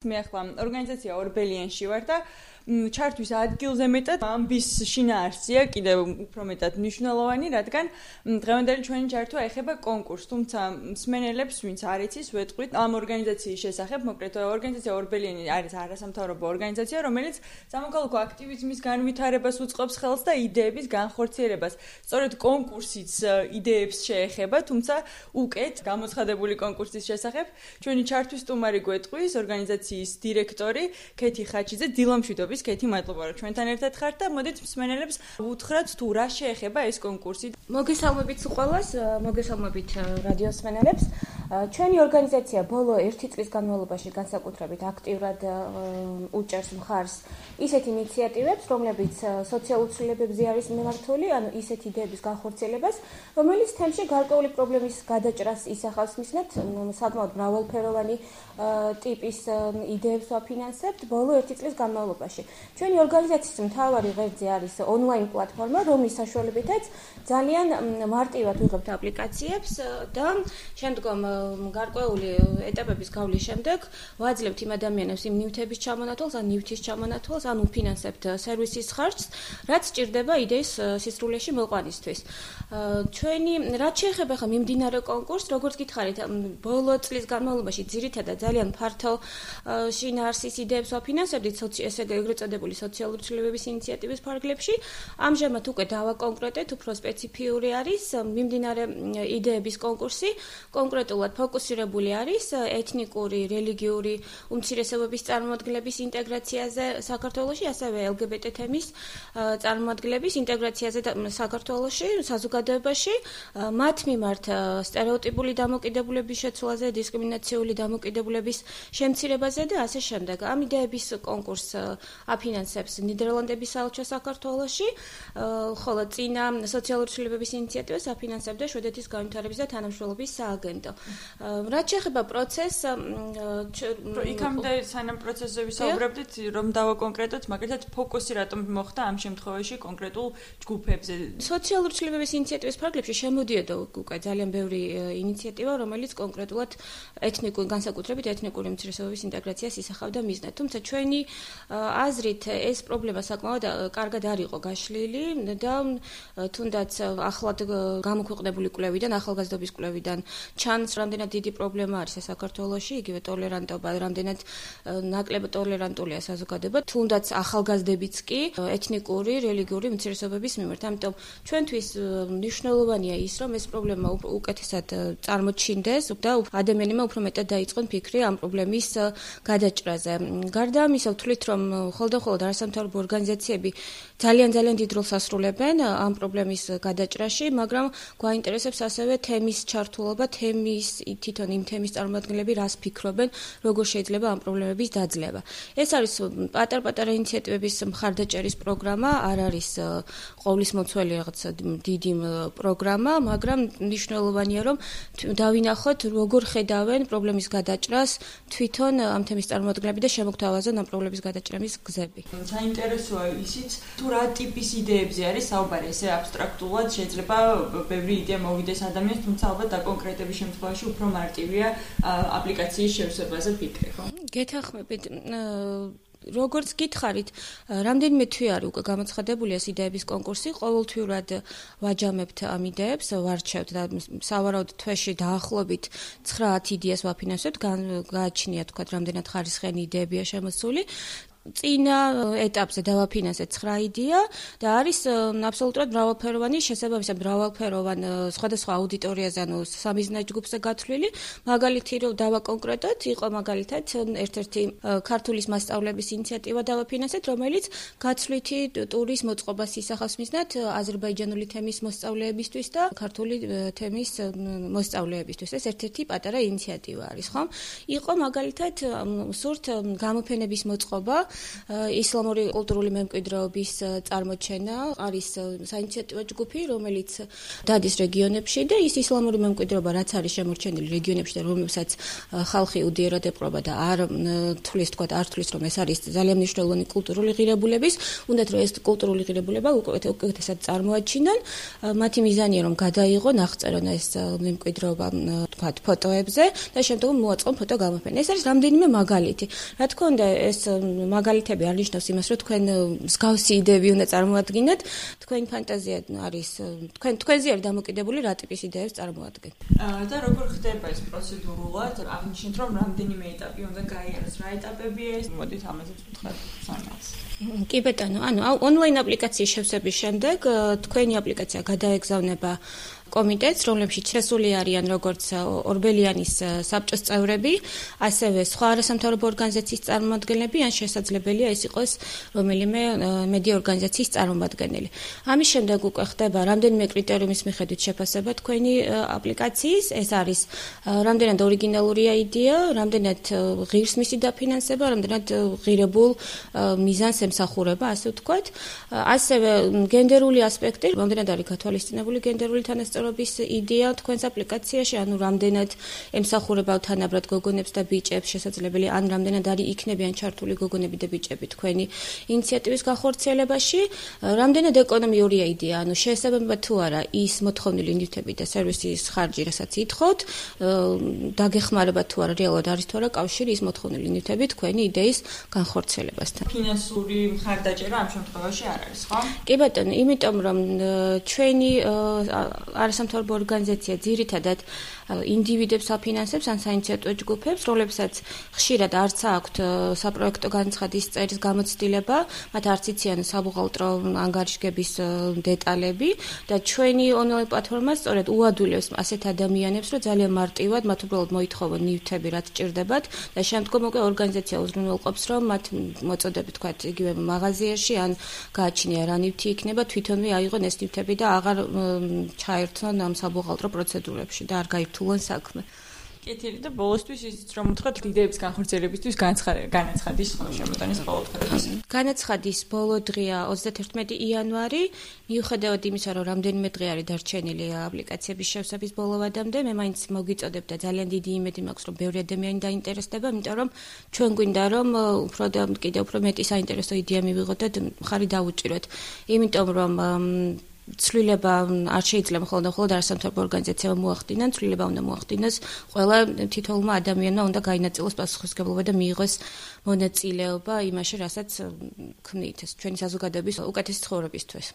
მე ახლა ორგანიზაცია ორბელიანში ვარ და ჩართვის ადგილზე მეტად ამბის შინაარსია კიდევ უფრო მეტად მნიშვნელოვანი, რადგან დღევანდელი ჩვენი ჩართვა ეხება კონკურსს, თუმცა მსმენელებს, ვინც არ იცის, ვეტყვით ამ ორგანიზაციის შესახებ, მოკლედ ორგანიზაცია ორბელიანი არის არასამთავრობო ორგანიზაცია, რომელიც სამოქალაქო აქტივიზმის განვითარებას უწყობს ხელს და იდეების განხორციელებას. სწორედ კონკურსიც იდეებს შეეხება, თუმცა უკეთ გამოცხადებული კონკურსის შესახებ ჩვენი ჩართვის სტუმარი გვეტყვის ორგანიზაციის დირექტორი ქეთი ხაჩიძე. დილამშვიდობის ქეთი, მადლობა რომ ჩვენთან ერთად ხართ და მოდით მსმენელებს უთხრათ თუ რა შეეხება ეს კონკურსი. მოგესალმებით ყველას, მოგესალმებით რადიოს მსმენელებს. ჩვენი ორგანიზაცია ბოლო 1 წლის განმავლობაში განსაკუთრებით აქტიურად უჭერს მხარს ისეთ ინიციატივებს, რომლებიც სოციალურ ცვლილებებზე არის მიმართული, ანუ ისეთ იდეების განხორციელებას, რომელიც თემში გარკვეული პრობლემის გადაჭრას ისახავს მისნად, საკმაოდ მრავალფეროვანი ტიპის იდეებს ვაფინანსებთ ბოლო 1 წლის განმავლობაში. ჩვენი ორგანიზაციის მთავარი ღერძი არის ონლაინ პლატფორმა, რომლის საშუალებითაც ძალიან მარტივად ვიღებთ აპლიკაციებს და შემდგომ გარკვეული ეტაპების გავლის შემდეგ ვაძლევთ იმ ადამიანებს იმ ნივთების ჩამონათვალს, ან ნივთის ჩამონათვალს, ან უფინანსებთ სერვისის ხარჯს, რაც სჭირდება იდეის სისრულეში მოყვანისთვის. ჩვენი რაც შეეხება ხა მიმდინარე კონკურსს, როგორც გითხარით, ბოლო წლის განმავლობაში ძირითადად ძალიან ფართო შინაარსის იდეებს ვაფინანსებდით ესე ეგრეთ წოდებული სოციალური ცვლილებების ინიციატივის ფარგლებში. ამჟამად უკვე დავაკონკრეტეთ, უფრო სპეციფიური არის მიმდინარე იდეების კონკურსი, კონკრეტულად ფოკუსირებული არის ეთნიკური, რელიგიური უმცირესობების წარმოადგენლების ინტეგრაციაზე საქართველოში, ასევე LGBT თემის წარმოადგენლების ინტეგრაციაზე საქართველოში, საზოგადოებაში, მათ მიმართ სტერეოტიპული დამოკიდებულების შეცვლაზე, დისკრიმინაციული დამოკიდებულების შემცირებაზე და ასე შემდეგ. ამ იდეების კონკურსს აფინანსებს ნიდერლანდების საელჩო საქართველოში, ხოლო წინა სოციალური ცვლილებების ინიციატივას აფინანსებდა შვედეთის განვითარების და თანამშრომლობის სააგენტო. რაც შეეხება პროცესს, იქამდე სანამ პროცესზე ვისაუბრებდით, რომ დავაკონკრეტოთ, მაგალითად ფოკუსი რატომ მოხდა ამ შემთხვევაში კონკრეტულ ჯგუფებზე. სოციალური ცვლილებების ინიციატივის ფარგლებში შემოდიოდა უკვე ძალიან ბევრი ინიციატივა, რომელიც კონკრეტულად განსაკუთრებით ეთნიკური უმცირესობების ინტეგრაციას ისახავდა მიზნად. თუმცა ჩვენი აზრით ეს პრობლემა საკმაოდ კარგად არ იყო გაშლილი და თუნდაც ახლად გამოქვეყნებული კვლევიდან, ახალგაზრდობის კვლევიდან ჩანს, რამდენად დიდი პრობლემა არის საქართველოში, იგივე ტოლერანტობა, რამდენად ნაკლებ ტოლერანტულია საზოგადოება, თუნდაც ახალგაზრდებიც კი ეთნიკური, რელიგიური უმცირესობების მიმართ. ამიტომ ჩვენთვის მნიშვნელოვანია ის, რომ ეს პრობლემა უკეთესად წარმოჩინდეს და ადამიანებმა უფრო მეტად დაიწყონ ფიქრი ამ პრობლემის გადაჭრაზე. გარდა ამისა, ვთვლით, რომ ხოლმე არასამთავრობო ორგანიზაციები ძალიან დიდ როლს ასრულებენ ამ პრობლემის გადაჭრაში, მაგრამ გვაინტერესებს ასევე თემის ჩართულობა, თვითონ იმ თემის წარმომადგენლები რას ფიქრობენ, როგორ შეიძლება ამ პრობლემების დაძლევა. ეს არის პატარ-პატარა ინიციატივების მხარდაჭერის პროგრამა, არ არის ყოვლისმომცველი რაღაც დიდი პროგრამა, მაგრამ მნიშვნელოვანია, რომ დავინახოთ, როგორ ხედავენ პრობლემის გადაჭრას თვითონ ამ თემის წარმომადგენლები და შემოგთავაზონ ამ პრობლემის გადაჭრების გზები. საინტერესოა ისიც, თუ რა ტიპის იდეებზე არის საუბარი, ესე აბსტრაქტულად შეიძლება ბევრი იდეა მოვიდეს ადამიანს, თუმცა ალბათ დაკონკრეტების შემთხვევაში უფრო მარტივია აპლიკაციის შევსებაზე ფიქრი, ხო? გეთანხმებით, როგორც გითხარით, რამდენიმე თვე არის უკვე გამოცხადებული ეს იდეების კონკურსი, ყოველთვიურად ვაჯამებთ ამ იდეებს, ვარჩევთ და სავარაუდოდ თვეში დაახლოებით 9-10 იდეას ვაფინანსებთ, გააჩნია თქვა რამდენად ხარისხიანი იდეებია შემოსული. წინა ეტაპზე დავაფინანსეთ 9 იდეა და არის აბსოლუტურად მრავალფეროვანი, შესაბამისად მრავალფეროვან სხვადასხვა აუდიტორიაზე, ანუ სამიზნე ჯგუფზე გათვლილი. მაგალითი რომ დავაკონკრეტოთ, იყო მაგალითად ერთ-ერთი ქართულის მასწავლების ინიციატივა დავაფინანსეთ, რომელიც გაცვლითი ტურის მოწყობას ისახავს მიზნად აზერბაიჯანული თემის მოსწავლეებისთვის და ქართული თემის მოსწავლეებისთვის. ეს ერთ-ერთი პატარა ინიციატივა არის, ხო? იყო მაგალითად სურთ გამოფენების მოწყობა ისლამური კულტურული მემკვიდრეობის წარმოჩენა არის საინიციატივო ჯგუფი, რომელიც დადის რეგიონებში და ის ისლამური მემკვიდრეობა, რაც არის შემორჩენილი რეგიონებში და რომელსაც ხალხი უდიერად ეპყრობა და არ თulis რომ ეს არის ძალიან მნიშვნელოვანი კულტურული ღირებულების, უნდათ რომ ეს კულტურული ღირებულება უკეთესად წარმოაჩინონ, მათი მიზანია რომ გადაიღონ, აღწერონ ეს მემკვიდრეობა თქვათ ფოტოებზე და შემდგომ მოაწყონ ფოტო გამოფენა. ეს არის რამდენიმე მაგალითი. რა თქმა უნდა, ეს მაგალითები არ ნიშნავს იმას, რომ თქვენ მსგავსი იდეები უნდა წარმოადგინოთ, თქვენი ფანტაზია არის თქვენზე არის დამოკიდებული რა ტიპის იდეებს წარმოადგენთ. და როგორ ხდება ეს პროცედურულად? აღნიშნეთ რომ რამდენიმე ეტაპი უნდა გაიაროს, რა ეტაპებია ეს? მოდით ამაზეც ვთქვათ სანაც. კი ბატონო, ონლაინ აპლიკაციის შევსების შემდეგ თქვენი აპლიკაცია გადაეგზავნება კომიტეტს, რომლებშიც შესული არიან როგორც ორბელიანის საბჭოს წევრები, ასევე სხვა არასამთავრობო ორგანიზაციის წარმომადგენლები, ან შესაძლებელია ეს იყოს რომელიმე მედია ორგანიზაციის წარმომადგენელი. ამის შემდეგ უკვე ხდება რამდენიმე კრიტერიუმის მიხედვით შეფასება თქვენი აპლიკაციის, ეს არის რამდენად ორიგინალურია იდეა, რამდენად ღირს მისი დაფინანსება, რამდენად ღირებულ მიზანს ემსახურება, ასე ვთქვათ. ასევე გენდერული ასპექტი, რამდენად არის გათვალისწინებული გენდერული თანასწორობის იდეა თქვენს აპლიკაციაში, ანუ რამდენად ემსახურება თანაბრად გოგონებს და ბიჭებს, შესაძლებელია, ან რამდენად არის იქნებიან ჩართული გოგონები და ბიჭები თქვენი ინიციატივის განხორციელებაში, რამდენად ეკონომიურია იდეა, ანუ შეესაბამება თუ არა ის მოთხოვნილი ნივთები და სერვისის ხარჯი, რასაც ითხოვთ, დაგეხმარება თუ არა, რეალურად არის თუ არა კავშირი ის მოთხოვნილი ნივთები თქვენი იდეის განხორციელებასთან. ფინანსური მხარდაჭერა ამ შემთხვევაში არ არის, ხო? კი ბატონო, იმიტომ რომ ჩვენი არასამთავრობო ორგანიზაცია ძირითადად ინდივიდებს აფინანსებს ან საინიციატივო ჯგუფებს, რომლებსაც ხშირად არც აქვთ საპროექტო განცხადის წერის გამოცდილება, მათ არც იციან საბუღალტრო ანგარიშგების დეტალები და ჩვენი ონლაინ პლატფორმა სწორედ უადვილებს ასეთ ადამიანებს, რომ ძალიან მარტივად მათ უბრალოდ მოითხოვონ ნივთები, რაც ჭირდებათ და შემდგომ უკვე ორგანიზაცია უზრუნველყოფს, რომ მათ მოწოდებით თქვათ იგივე მაღაზიაში ან გააჩნია რა ნივთი იქნება, თვითონვე აიღონ ეს ნივთები და აღარ ჩაერთონ ამ საბუღალტრო პროცედურებში და არ გაირთულონ საქმე. კეთილი და ბოლოსთვის ისიც რომ ვთქვათ, იდეების განხორციელებისთვის განაცხადის შემოტანის ყოველდღიურობის. განაცხადის ბოლო დღეა 31 იანვარი. მიუხედავად იმისა, რომ რამდენიმე დღე არის დარჩენილი აპლიკაციების შევსების ბოლოვადამდე, მე მაინც მოგიწოდებ და ძალიან დიდი იმედი მაქვს, რომ ბევრი ადამიანი დაინტერესდება, იმიტომ რომ ჩვენ გვინდა რომ კიდევ უფრო მეტი საინტერესო იდეა მივიღოთ და მხარი დავუჭიროთ. იმიტომ რომ ცვლილება არ შეიძლება მხოლოდ არასამთავრობო ორგანიზაციებმა მოახდინონ, ცვლილება უნდა მოახდინოს ყველა თითოეულმა ადამიანმა უნდა გაინაწილოს პასუხისმგებლობა და მიიღოს მონაწილეობა იმაში, რასაც ქმნით ჩვენი საზოგადოების უკეთესი ცხოვრებისთვის.